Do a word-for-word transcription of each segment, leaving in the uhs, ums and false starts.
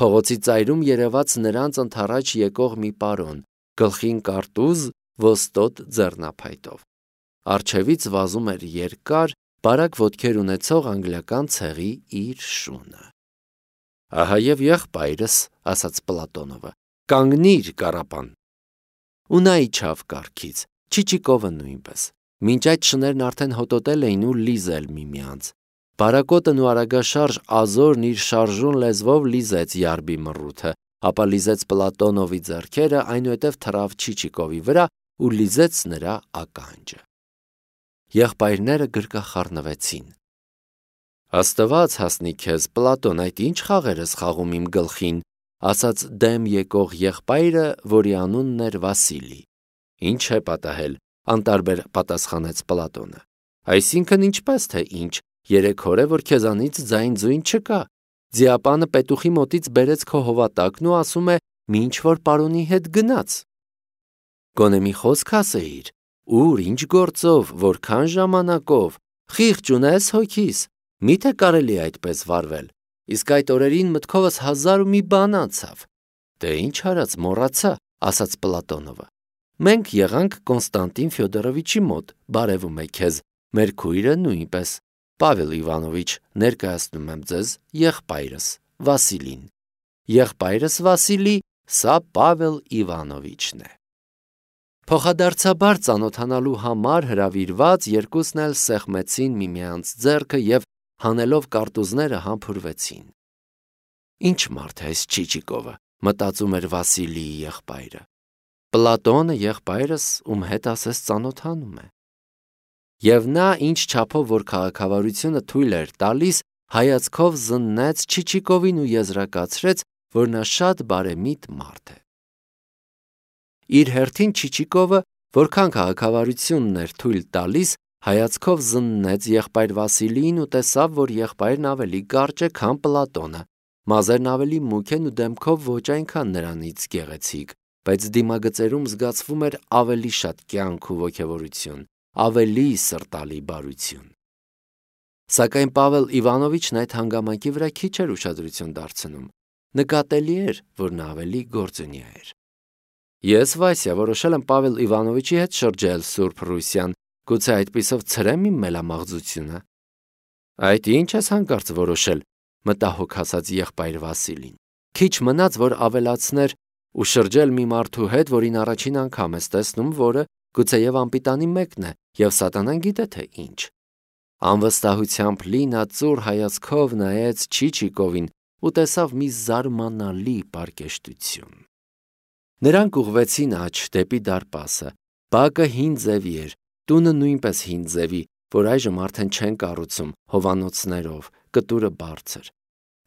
Փողոցի ծայրում երևաց նրանց ընդառաջ եկող մի պարոն, գլխին կարտուզ, ոստոտ ձեռնափայտով։ Առջևից վազում էր երկար, բարակ ոտքեր ունեցող անգլիական ցեղի իր շունը։ Ահա և եղբայրս, ասաց Պլատոնովը, կանգնիր, կառապան։ Ու նա իջավ կառքից, Չիչիկովը նույնպես։ Մինչ այդ շներն արդեն հոտոտել էին ու լիզել միմյանց։ Բարակոտն ու արագաշարժ Ազորն իր շարժուն լեզվով լիզեց յարբի մռութը, ապա լիզեց Պլատոնովի ձեռքերը, այնուհետև թռավ Չիչիկովի վրա ու լիզեց նրա ականջը։ Եղբայրները գրկախառնվեցին։ Աստված հասնի քեզ, Պլատոն, այդ ինչ խաղեր ես խաղում իմ գլխին, ասաց դեմ եկող եղբայրը, որի անունն էր Վասիլի։ Ինչ է պատահել, անտարբեր պատասխանեց Պլատոնը։ Այսինքն ինչպես թե ինչ, երեք օր է, որ քեզանից ձայն ձույն չկա։ Ձիապանը պետուխի մոտից բերեց քո հովատակն ու ասում է՝ մի ինչ-որ պարոնի հետ գնաց։ Գոնե մի խոսք ասեիր, ուր, ինչ գործով, որքան ժամանակով, խիղճ ունես հոգիս, միթե կարելի է այդպես վարվել։ Իսկ այդ օրերին մտքովս հազար ու մի բան անցավ։ Դե ինչ արած, մոռացա, ասաց Պլատոնովը։ Մենք եղանք Կոնստանտին Ֆյոդորովիչի մոտ, բարևում է քեզ, մեր քույրը նույնպես, Պավել Իվանովիչ, ներկայացնում եմ ձեզ եղբայրս, Վասիլին։ Եղբայրս Վասիլի, սա Պավել Իվանովիչն է։ Փոխադարձաբար ծանոթանալու համար հրավիրված երկուսն էլ սեղմեցին միմյանց ձեռքը և հանելով կարտուզները համբուրվեցին։ Ինչ մարդ է այս Չիչիկովը, մտածում էր Վասիլիի եղբայրը։ Պլատոնը եղբայրս ում հետ ասես ծանոթանում է։ Եվ նա ինչ չափով որ քաղաքավարությունը թույլ էր տալիս, հայացքով զննեց Չիչիկովին ու եզրակացրեց, որ նա շատ բարեմիտ մարդ է։ Իր հերթին Չիչիկովը, որքան քաղաքավարությունն էր թույլ տալիս, հայացքով զննեց եղբայր Վասիլիին ու տեսավ, որ եղբայրն ավելի կարճ է, քան Պլատոնը, մազերն ավելի մուգ են ու դեմքով ոչ այնքան նրանից գեղեցիկ, բայց դիմագծերում զգացվում էր ավելի շատ կյանք ու ոգևորություն, ավելի սրտալի բարություն։ Սակայն Պավել Իվանովիչն այդ հանգամանքի վրա քիչ էր ուշադրություն դարձնում։ Նկատելի էր, որ նա ավելի գործունյա էր։ Ես, Վասյա, որոշել եմ Պավել Իվանովիչի հետ շրջել Սուրբ Ռուսիան, գուցե այդպիսով ցրեմ իմ մելամաղձությունը։ Այդ ինչ ես հանկարծ որոշել, մտահոգ ասաց եղբայր Վասիլին։ Քիչ մնաց, որ ավելացներ ու շրջել մի մարդու հետ, որին առաջին անգամ ես տեսնում, որը գուցեև անպիտանի մեկն է, և սատանան գիտե թե ինչ։ Անվստահությամբ լի նա ծուռ հայացքով նայեց Չիչիկովին ու տեսավ մի զարմանալի պարկեշտություն։ Նրանք ուղղվեցին աջ դեպի դարպասը։ Բակը հին ձևի էր, տունը նույնպես հին ձևի, որ այժմ արդեն չեն կառուցում, հովանոցներով, կտուրը բարձր։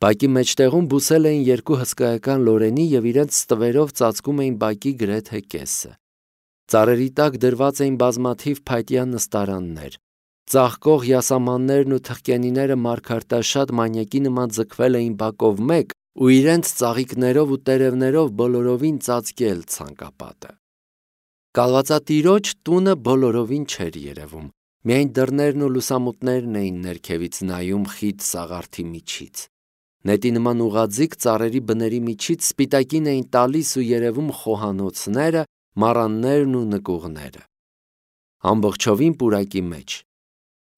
Բակի մեջտեղում բուսել էին երկու հսկայական լորենի և իրենց ստվերով ծածկում էին բակի գրեթե կեսը։ Ծառերի տակ դրված էին բազմաթիվ փայտյա նստարաններ։ Ծաղկող յասամաններն ու թխկենիները մարգարտաշատ մանյակի նման ձգվել էին բակով մեկ ու իրենց ծաղիկներով ու տերևներով բոլորովին ծածկել ցանկապատը։ Կալվածատիրոջ տունը բոլորովին չէր երևում, միայն դռներն ու լուսամուտներն էին ներքևից նայում խիտ սաղարթի միջից։ Նետի նման ուղղաձիգ ծառերի բների միջից սպիտակին էին տալիս ու երևում խոհանոցները, մառաններն ու նկուղները։ Ամբողջովին պուրակի մեջ։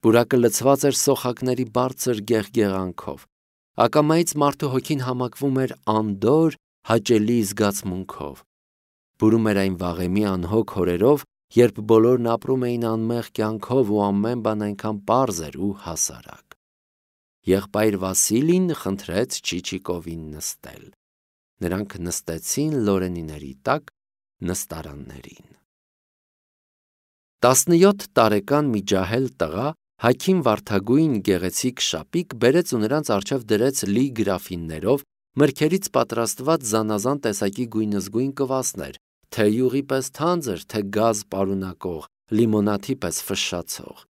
Պուրակը լցված էր սոխակների բարձր գեղգեղանքով։ Ակամայից մարդու հոգին համակվում էր անդորր, հաճելի զգացմունքով։ Բուրում էր այն վաղեմի անհոգ օրերով, երբ բոլորն ապրում էին անմեղ կյանքով ու ամեն բան այնքան պարզ էր ու հասարակ։ Եղբայր Վասիլին խնդրեց Չիչիկովին նստել։ Նրանք նստեցին լորենիների տակ նստարաններին։ Տասնյոթ տարեկան մի ջահել տղա, հագին վարդագույն գեղեցիկ շապիկ, բերեց ու նրանց առջև դրեց լի գրաֆիններով մրգերից պատրաստված զանազան տեսակի գույնզգույն կվասներ, թե յուղի պես թանձր, թե գազ պարունակող, լիմոնադի պես ֆշշացող։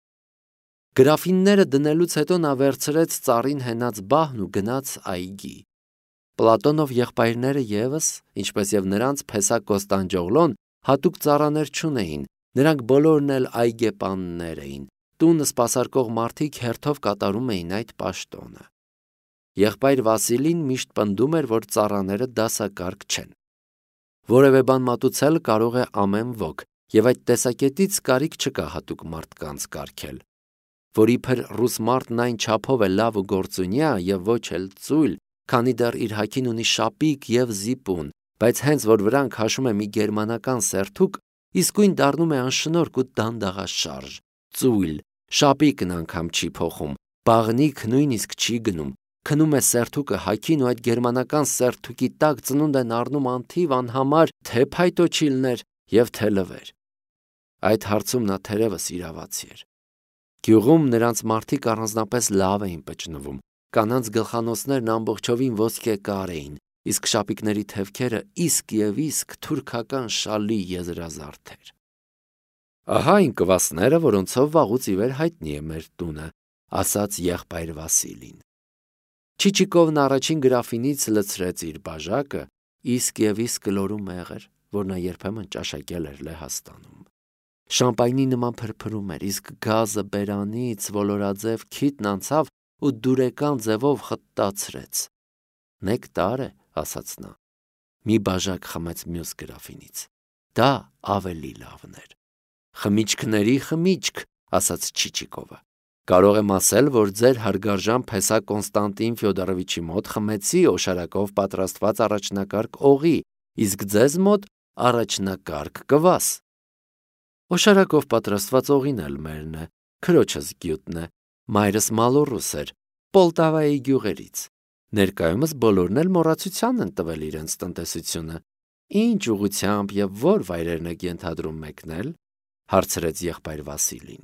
Գրաֆինները դնելուց հետո նա վերցրեց ծառին հենած բահն ու գնաց այգի։ Պլատոնով եղբայրները ևս, ինչպես և նրանց փեսա Կոստանդջոգլոն, հատուկ ծառաներ չունեին, նրանք բոլորն էլ այգեպաններ էին, տունը սպասարկող մարդիկ հերթով կատարում էին այդ պաշտոնը։ Եղբայր Վասիլին միշտ պնդում էր, որ ծառաները դասակարգ չեն։ Որևէ բան մատուցել կարող է ամեն ոք, եւ այդ տեսակետից կարիք չկա հատուկ մարդկանց կարգել, որ իբր ռուս մարդն այն չափով է լավ ու գործունյա եւ ոչ էլ ծույլ, քանի դեռ իր հագին ունի շապիկ եւ զիպուն, բայց հենց որ վրան քաշում է մի գերմանական սերթուկ, իսկույն դառնում է անշնորհք ու դանդաղաշարժ, ծույլ, շապիկն անգամ չի փոխում, բաղնիք նույնիսկ չի գնում, քնում է սերթուկը հագին ու այդ գերմանական սերթուկի տակ ծնունդ են առնում անթիվ անհամար թե փայտոչիլներ եւ թե լվեր։ Այդ հարցում նա թերևս իրավացի էր։ Գյուղում նրանց մարդիկ առանձնապես լավ էին պճնվում, կանանց գլխանոցներն ամբողջովին ոսկե կար էին, իսկ շապիկների թևքերը իսկ եւ իսկ թուրքական շալի եզրազարդ էր։ Ահա այն կվասները, որոնցով վաղուց ի վեր հայտնի է մեր տունը, ասաց եղբայր Վասիլին։ Չիչիկովն առաջին գրաֆինից լցրեց իր բաժակը, իսկ եւ իսկ կլորու մեղր, որ նա երբեմն ճաշակել էր Լեհաստանում։ Շամպայնի նման փրփրում էր, իսկ գազը բերանից ոլորաձև քիթն անցավ ու դուրեկան ձևով խտացրեց։ Նեկտար է, ասաց նա։ Մի բաժակ խմեց մյուս գրաֆինից։ Դա ավելի լավն էր։ Խմիչքների խմիչք, ասաց Չիչիկովը։ Կարող եմ ասել, որ ձեր հարգարժան փեսա Կոնստանտին Ֆյոդորովիչի մոտ խմեցի օշարակով պատրաստված առաջնակարգ օղի, իսկ ձեզ մոտ առաջնակարգ կվաս։ Օշարակով պատրաստված օղին էլ մերն է, քրոջս գյուտն է, մայրս մալոռուս էր, Պոլտավայի գյուղերից։ Ներկայումս բոլորն էլ մոռացության են տվել իրենց տնտեսությունը։ Ինչ ուղղությամբ եւ որ վայրերն եք ենթադրում մեկնել, հարցրեց եղբայր Վասիլին։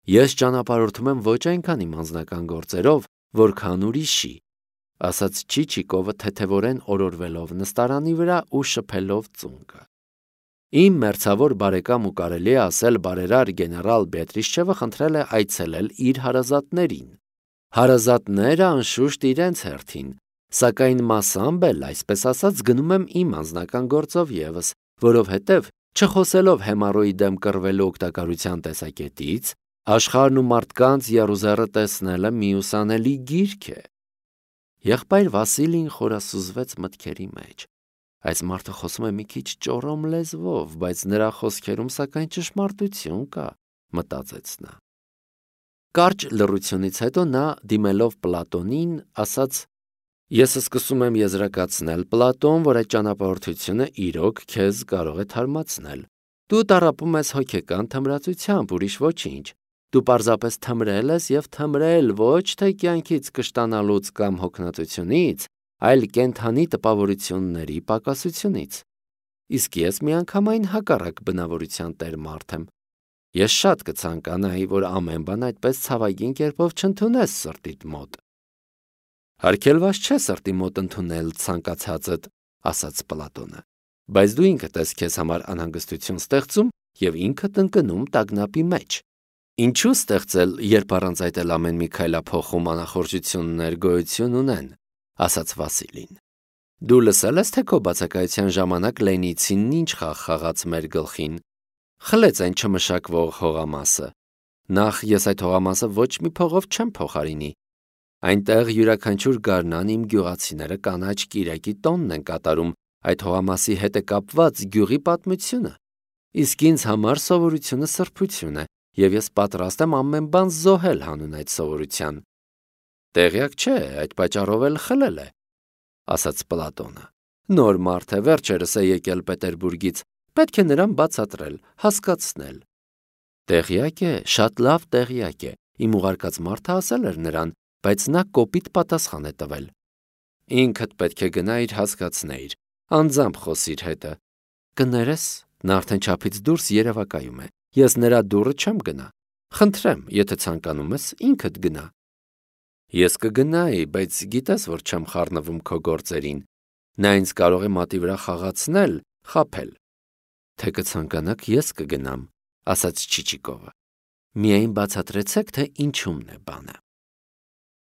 Ես ճանապարհորդում եմ ոչ այնքան իմ անձնական գործերով, որքան ուրիշի, ասաց Չիչիկովը թեթևորեն օրորվելով նստարանի վրա ու շփելով ծունկը։ Իմ մերձավոր բարեկամ ու կարելի է ասել բարերար գեներալ Բետրիշչևը խնդրել է այցելել իր հարազատներին։ Հարազատները անշուշտ իրենց հերթին, սակայն մասամբ էլ, այսպես ասած, գնում եմ իմ անձնական գործով եւս, որովհետեւ չխոսելով հեմառոյի դեմ կռվելու օգտակարության տեսակետից, աշխարհն ու մարդկանց եռուզեռը տեսնելը միուսանելի գիրք է։ Եղբայր Վասիլին խորասուզվեց մտքերի մեջ։ Այս մարդը խոսում է մի քիչ ճորոմ լեզվով, բայց նրա խոսքերում սակայն ճշմարտություն կա, մտածեց նա։ Կարճ լռությունից հետո նա, դիմելով Պլատոնին, ասաց. Ես սկսում եմ եզրակացնել, Պլատոն, որ այդ ճանապարհորդությունը իրոք քեզ կարող է թարմացնել։ Դու տառապում ես հոգեկան թմրացությամբ, ուրիշ ոչինչ։ Դու պարզապես թմրել ես եւ թմրել ոչ թե կյանքից կշտանալուց կամ հոգնածությունից, այլ կենթանի տպավորությունների պակասությունից։ Իսկ ես միանգամայն հակառակ բնավորության տեր մարդ եմ։ Ես շատ կցանկանայի, որ ամեն բան այդպես ցավագին կերպով չընդունես սրտիդ մոտ։ Հարգելված չէ սրտի մոտ ընդունել ցանկացածդ, ասաց Պլատոնը, բայց դու ինքդ ես քեզ համար անհանգստություն ստեղծում եւ ինքդ ընկնում տագնապի մեջ։ Ինչու ստեղծել, երբ առանց այդ էլ ամեն մի քայլափոխում անախորժություններ գոյություն ունեն, ասաց Վասիլին։ Դու լսել ես, թե քո բացակայության ժամանակ Լենիցինն ինչ խաղ խաղաց մեր գլխին։ Խլեց այն չմշակվող հողամասը։ Նախ ես այդ հողամասը ոչ մի փողով չեմ փոխարինի։ Այնտեղ յուրաքանչյուր գարնան իմ գյուղացիները կանաչ կիրակի տոնն են կատարում այդ հողամասի հետ է կապված գյուղի պատմությունը։ Իսկ ինձ համար սովորությունը սրբություն է, եւ ես պատրաստ եմ ամեն բան զոհել հանուն այդ սովորության։ Տեղյակ չէ, այդ պատճառով էլ խլել է, ասաց Պլատոնը։ Նոր մարդ է, վերջերս է եկել Պետերբուրգից, պետք է նրան բացատրել, հասկացնել։ Տեղյակ է, շատ լավ տեղյակ է, իմ ուղարկած մարդը ասել էր նրան, բայց նա կոպիտ պատասխան է տվել։ Ինքդ պետք է գնայիր հասկացնեիր, անձամբ խոսիր հետը։ Կներես, նա արդեն չափից դուրս երևակայում է, ես նրա դուռը չեմ գնա։ Խնդրեմ, եթե ցանկանում ես, ինքդ գնա։ Ես կգնայի, բայց գիտես, որ չեմ խառնվում քո գործերին։ Նա ինձ կարող է մատի վրա խաղացնել, խաբել։ Թե կցանկանաք, ես կգնամ, ասաց Չիչիկովը։ Միայն բացատրեցեք, թե ինչումն է բանը։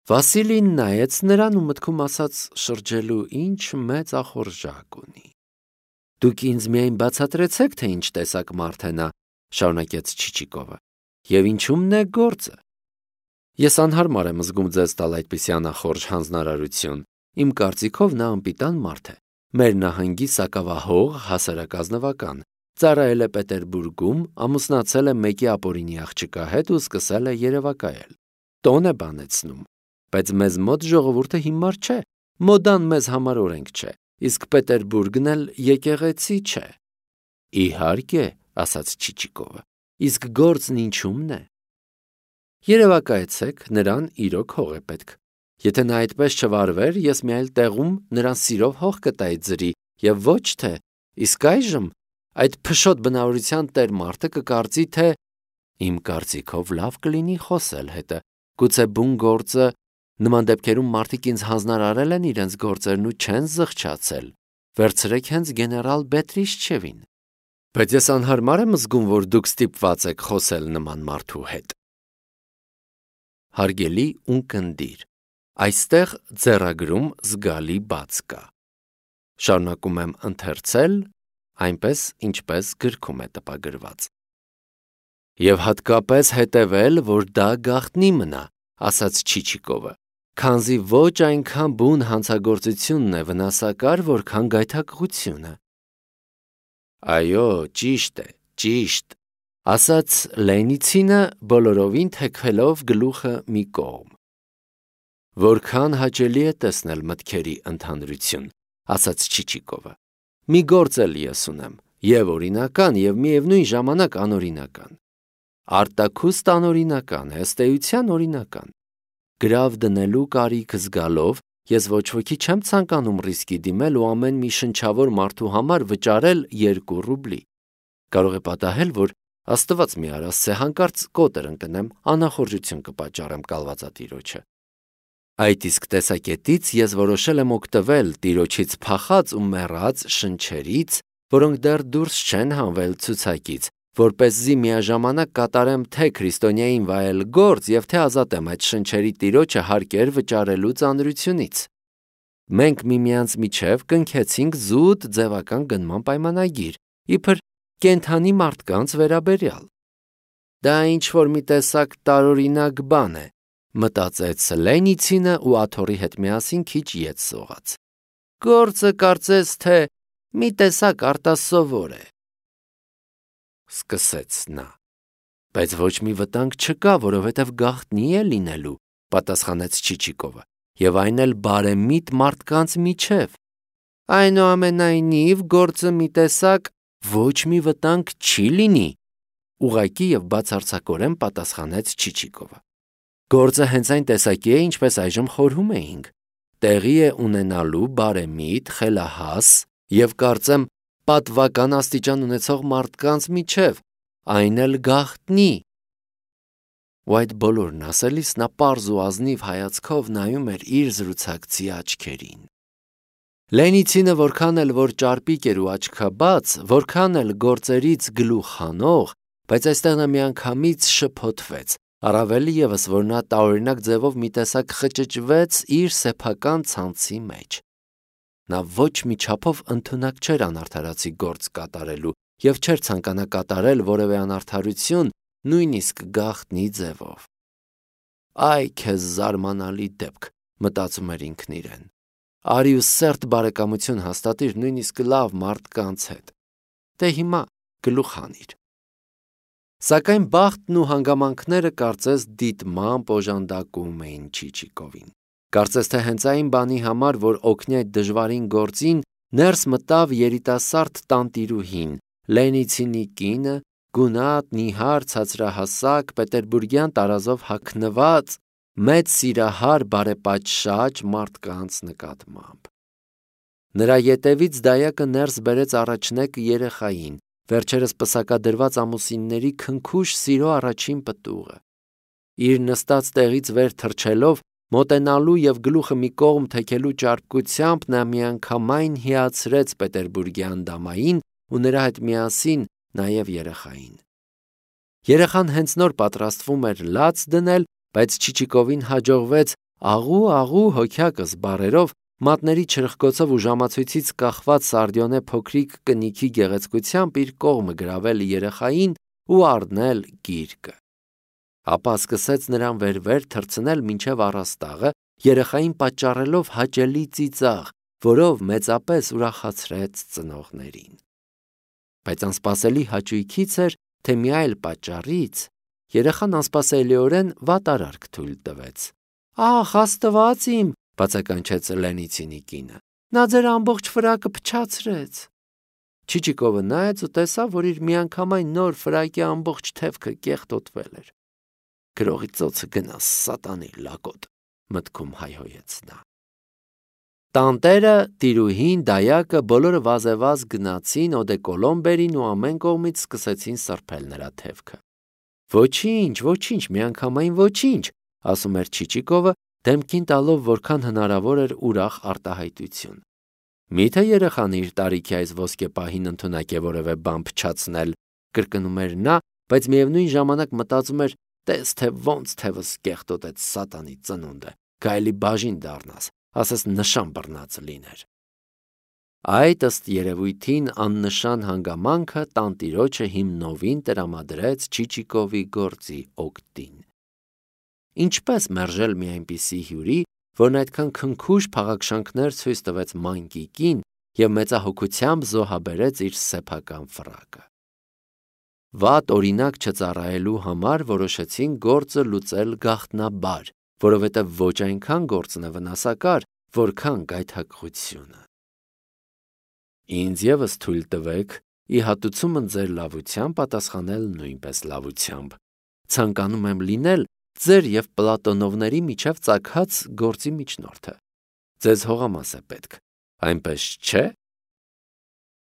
Վասիլին նայեց նրան ու մտքում ասաց շրջելու ինչ մեծ ախորժակ ունի։ Դուք ինձ միայն բացատրեցեք, թե ինչ տեսակ մարդ է նա, շարունակեց Չիչիկովը, եւ ինչումն է գործը։ Ես անհարմար եմ զգում ձեզ տալ այդպիսի անախորժ հանձնարարություն։ Իմ կարծիքով նա անպիտան մարդ է։ Մեր նահանգի սակավահող հասարակազնվական։ Ծառայել է Պետերբուրգում, ամուսնացել է մեկի ապօրինի աղջկա հետ ու սկսել է երևակայել։ Տոն է բանեցնում։ Բայց մեզ մոտ ժողովուրդը հիմար չէ։ Մոդան մեզ համար օրենք չէ, իսկ Պետերբուրգն էլ եկեղեցի չէ։ Իհարկե, ասաց Չիչիկովը, իսկ գործն ինչումն է։ Երևակայեցեք, նրան իրոք հող է պետք։ Եթե նա այդպես չվարվեր, ես մի այլ տեղում նրան սիրով հող կտայի ձրի, եւ ոչ թե, իսկ այժմ այդ փշոտ բնավորության տեր մարդը կկարծի, թե իմ կարծիքով լավ կլինի խոսել հետը, գուցե բուն գործը, նման դեպքերում մարդիկ ինձ հանձնարարել են իրենց գործերն ու չեն զղջացել, վերցրեք հենց գեներալ Բետրիշչևին։ Բայց ես անհարմար եմ զգում, որ դուք ստիպված եք խոսել նման մարդու հետ։ Հարգելի ունկնդիր, այստեղ ձեռագրում զգալի բաց կա։ Շարունակում եմ ընթերցել, այնպես ինչպես գրքում է տպագրված։ Եվ հատկապես հետևել, որ դա գաղտնի մնա, ասաց Չիչիկովը, քանզի ոչ այնքան բուն հանցագործությունն է վնասակար, որքան գայթակղությունը։ Այո, ճիշտ է, ճիշտ, ասաց Լենիցինը բոլորովին թեքվելով գլուխը մի կողմ։ Որքան հաճելի է տեսնել մտքերի ընդհանրություն, ասաց Չիչիկովը։ Մի գործ էլ ես ունեմ, եւ օրինական, եւ միևնույն ժամանակ անօրինական։ Արտաքուստ անօրինական, հստեյության օրինական։ Գրավ դնելու կարիք զգալով ես ոչ ոքի չեմ ցանկանում ռիսկի դիմել ու ամեն մի շնչավոր մարդու համար վճարել երկու ռուբլի։ Կարող է պատահել, որ Աստված մի արասցե հանկարծ կոտր ընկնեմ, անախորժություն կպատճառեմ կալվածատիրոջը։ Այդ իսկ տեսակետից ես որոշել եմ օգտվել տիրոջից փախած ու մեռած շնչերից, որոնք դեռ դուրս չեն հանվել ցուցակից, որպեսզի միաժամանակ կատարեմ թե քրիստոնյային վայել գործ եւ թե ազատեմ այդ շնչերի տիրոջը հարկեր վճարելու ծանրությունից։ Մենք միմյանց միջև կնքեցինք զուտ ձևական գնման պայմանագիր, իբր կենթանի մարդկանց վերաբերյալ։ Դա ինչ-որ մի տեսակ տարօրինակ բան է, մտածեց Լենիցինը ու աթոռի հետ միասին քիչ ետ սողաց։ Գործը կարծես թե մի տեսակ արտասովոր է։ Սկսեց նա։ Բայց ոչ մի վտանգ չկա, որովհետև գաղտնի է լինելու, պատասխանեց Չիչիկովը, եւ այն էլ բարեմիտ մարդկանց միջև։ Այնուամենայնիվ գործը մի տեսակ ոչ մի վտանգ չի լինի, ուղղակի եւ բացարձակորեն պատասխանեց Չիչիկովը։ Գործը հենց այն տեսակի է, ինչպես այժմ խորհում էինք։ Տեղի է ունենալու բարեմիտ, խելահաս եւ կարծեմ պատվական աստիճան ունեցող մարդկանց միջև, այն էլ գաղտնի։ Ու այդ բոլորն ասելիս նա պարզ ու ազնիվ հայացքով նայում էր իր զրուցակցի աչքերին։ Լենիցինը որքան էլ որ ճարպիկ էր ու աչքաբաց, որքան էլ գործերից գլուխ հանող, բայց այստեղ նա միանգամից շփոթվեց, առավել ևս, որ նա տարօրինակ ձևով մի տեսակ խճճվեց իր սեփական ցանցի մեջ։ Նա ոչ մի չափով ընդունակ չէր անարդարացի գործ կատարելու եւ չէր ցանկանա կատարել որևէ անարդարություն, նույնիսկ գաղտնի ձևով։ Այ քեզ զարմանալի դեպք, մտածում էր ինքն իրեն։ Արի ու սերտ բարեկամություն հաստատիր նույնիսկ լավ մարդկանց հետ։ Դե հիմա գլուխ հանիր։ Սակայն բախտն ու հանգամանքները կարծես դիտմամբ օժանդակում էին Չիչիկովին։ Կարծես թե հենց այն բանի համար, որ օգնի այդ դժվարին գործին, ներս մտավ երիտասարդ տանտիրուհին, Լենիցինի կինը, գունատ, նիհար, ցածրահասակ, պետերբուրգյան տարազով հագնված, մեծ սիրահար բարեպատշաճ մարդկանց նկատմամբ։ Նրա ետևից դայակը ներս բերեց առաջնեկ երեխային, վերջերս պսակադրված ամուսինների քնքուշ սիրո առաջին պտուղը։ Իր նստած տեղից վեր թռչելով, մոտենալու եւ գլուխը մի կողմ թեքելու ճարպկությամբ նա միանգամայն հիացրեց պետերբուրգյան դամային ու նրա հետ միասին նաեւ երեխային։ Երեխան հենց նոր պատրաստվում էր լաց դնել, բայց Չիչիկովին հաջողվեց աղու-աղու հոգյակս բառերով մատների չրխկոցով ու ժամացույցից կախված Սարդյոնե փոքրիկ կնիքի գեղեցկությամբ իր կողմը գրավել երեխային ու առնել գիրկը։ Ապա սկսեց նրան վեր-վեր թռցնել մինչև առաստաղը, երեխային պատճառելով հաճելի ծիծաղ, որով մեծապես ուրախացրեց ծնողներին։ Բայց անսպասելի հաճույքից էր, թե մի այլ պատճառից երեխան անսպասելիորեն վատարարք թույլ տվեց։ «Ահ, Աստված իմ», բացականչեց Լենիցինի կինը, «նա ձեր ամբողջ ֆրակը փչացրեց»։ Չիչիկովը նայեց ու տեսավ, որ իր միանգամայն նոր ֆրակի ամբողջ թևքը կեղտոտվել էր։ «Գրողի ծոցը գնաս, սատանի լակոտ», մտքում հայհոյեց նա։ Տանտերը, տիրուհին, դայակը բոլորը վազեվազ գնացին օդեկոլոն բերին ու ամեն կողմից սկսեցին սրբել նրա թևքը։ «Ոչինչ, ոչինչ, միանգամայն ոչինչ», ասում էր Չիչիկովը, դեմքին տալով որքան հնարավոր էր ուրախ արտահայտություն։ «Միթե երեխան իր տարիքի այս ոսկեպահին ընդունակ է որևէ բան փչացնել», կրկնում էր նա, բայց միևնույն ժամանակ մտածում էր. «Տես թե ոնց թևս կեղտոտեց սատանի ծնունդը, գայելի բաժին դառնաս, ասես նշան բռնած լիներ»։ Այդ ըստ երևույթին աննշան հանգամանքը տանտիրոջը հիմնովին տրամադրեց Չիչիկովի գործի օգտին։ Ինչպես մերժել մի այնպիսի հյուրի, որն այդքան քնքուշ փաղաքշանքներ ցույց տվեց մանկիկին և մեծահոգությամբ զոհաբերեց իր սեփական ֆրակը։ Վատ օրինակ չծառայելու համար որոշեցին գործը լուծել գաղտնաբար, որովհետև ոչ այնքան գործն է վնասակար, որքան գայթակղությունը։ Ինձ ևս թույլ տվեք ի հատուցումն ձեր լավության պատասխանել նույնպես լավությամբ։ Ցանկանում եմ լինել ձեր և Պլատոնովների միջև ծագած գործի միջնորդը։ Ձեզ հողամաս է պետք, այնպես չէ՞։